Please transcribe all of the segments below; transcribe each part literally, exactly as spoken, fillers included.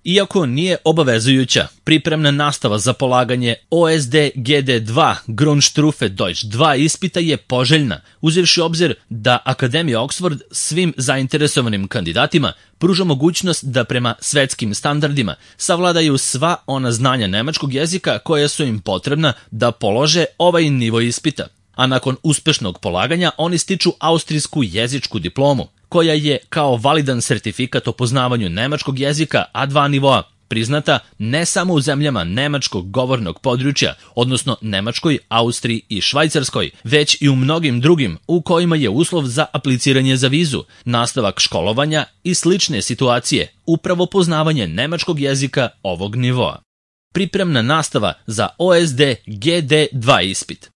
Iako nije obavezujuća, pripremna nastava za polaganje O S D G D dva Grundstufe Deutsch dva ispita je poželjna, uzevši obzir da Akademija Oxford svim zainteresovanim kandidatima pruža mogućnost da prema svetskim standardima savladaju sva ona znanja nemačkog jezika koja su im potrebna da polože ovaj nivo ispita. A nakon uspešnog polaganja oni stiču austrijsku jezičku diplomu, koja je kao validan sertifikat o poznavanju nemačkog jezika A dva nivoa priznata ne samo u zemljama nemačkog govornog područja, odnosno Nemačkoj, Austriji i Švajcarskoj, već i u mnogim drugim u kojima je uslov za apliciranje za vizu, nastavak školovanja i slične situacije, upravo poznavanje nemačkog jezika ovog nivoa. Pripremna nastava za O S D G D dva ispit.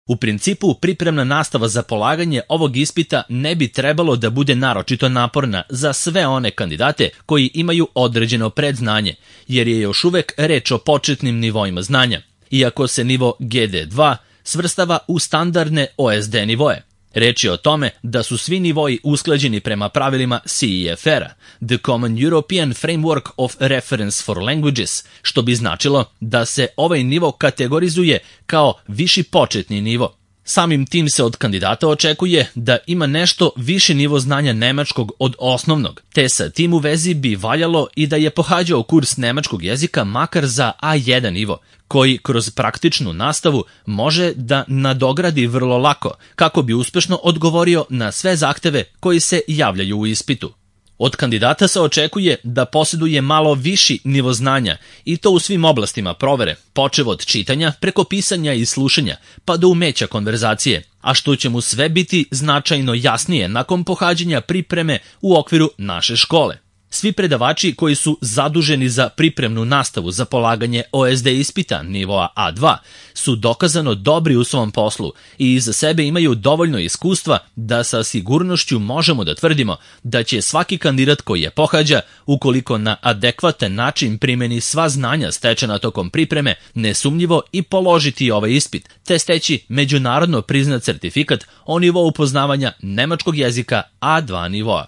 U principu, pripremna nastava za polaganje ovog ispita ne bi trebalo da bude naročito naporna za sve one kandidate koji imaju određeno predznanje, jer je još uvek reč o početnim nivoima znanja, iako se nivo G D dva svrstava u standardne O S D nivoe. Reč je o tome da su svi nivoji usklađeni prema pravilima C E F R-a, The Common European Framework of Reference for Languages, što bi značilo da se ovaj nivo kategorizuje kao viši početni nivo. Samim tim se od kandidata očekuje da ima nešto viši nivo znanja nemačkog od osnovnog, te sa tim u vezi bi valjalo i da je pohađao kurs nemačkog jezika makar za A jedan nivo, koji kroz praktičnu nastavu može da nadogradi vrlo lako, kako bi uspešno odgovorio na sve zahteve koji se javljaju u ispitu. Od kandidata se očekuje da posjeduje malo viši nivo znanja i to u svim oblastima provere, počev od čitanja, preko pisanja i slušanja, pa do umeća konverzacije, a što će mu sve biti značajno jasnije nakon pohađanja pripreme u okviru naše škole. Svi predavači koji su zaduženi za pripremnu nastavu za polaganje O S D ispita nivoa A dva su dokazano dobri u svom poslu i iza sebe imaju dovoljno iskustva da sa sigurnošću možemo da tvrdimo da će svaki kandidat koji je pohađa, ukoliko na adekvatan način primeni sva znanja stečena tokom pripreme, nesumnjivo i položiti ovaj ispit, te steći međunarodno priznat sertifikat o nivou poznavanja nemačkog jezika A dva nivoa.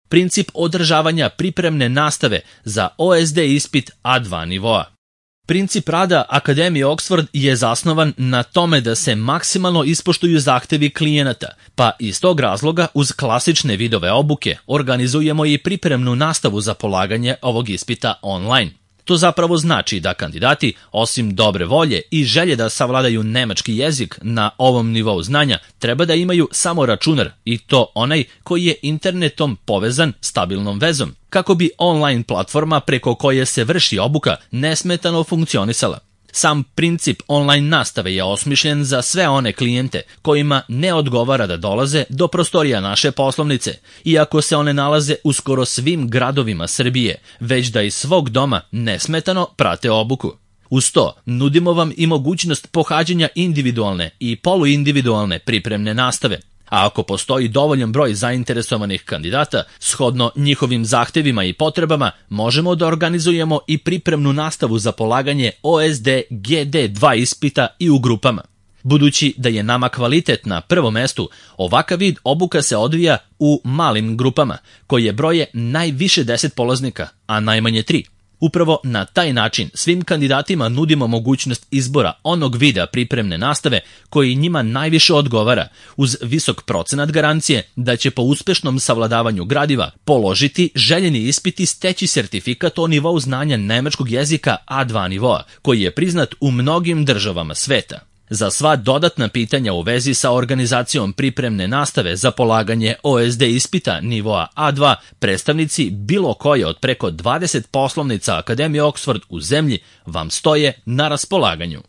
Princip održavanja pripremne nastave za O S D ispit A dva nivoa. Princip rada Akademije Oxford je zasnovan na tome da se maksimalno ispoštuju zahtevi klijenata, pa iz tog razloga uz klasične vidove obuke organizujemo i pripremnu nastavu za polaganje ovog ispita online. To zapravo znači da kandidati, osim dobre volje i želje da savladaju nemački jezik na ovom nivou znanja, treba da imaju samo računar, i to onaj koji je internetom povezan stabilnom vezom, kako bi online platforma preko koje se vrši obuka nesmetano funkcionisala. Sam princip online nastave je osmišljen za sve one klijente kojima ne odgovara da dolaze do prostorija naše poslovnice, iako se one nalaze u skoro svim gradovima Srbije, već da iz svog doma nesmetano prate obuku. Uz to, nudimo vam i mogućnost pohađanja individualne i poluindividualne pripremne nastave. A ako postoji dovoljan broj zainteresovanih kandidata, shodno njihovim zahtevima i potrebama, možemo da organizujemo i pripremnu nastavu za polaganje O S D G D dva ispita i u grupama. Budući da je nama kvalitet na prvom mestu, ovakav vid obuka se odvija u malim grupama, koje broje najviše deset polaznika, a najmanje tri. Upravo na taj način svim kandidatima nudimo mogućnost izbora onog vida pripremne nastave koji njima najviše odgovara, uz visok procenat garancije da će po uspešnom savladavanju gradiva položiti željeni ispit i steći sertifikat o nivou znanja nemačkog jezika A dva nivoa, koji je priznat u mnogim državama sveta. Za sva dodatna pitanja u vezi sa organizacijom pripremne nastave za polaganje O S D ispita nivoa A dva, predstavnici bilo koje od preko dvadeset poslovnica Akademije Oxford u zemlji vam stoje na raspolaganju.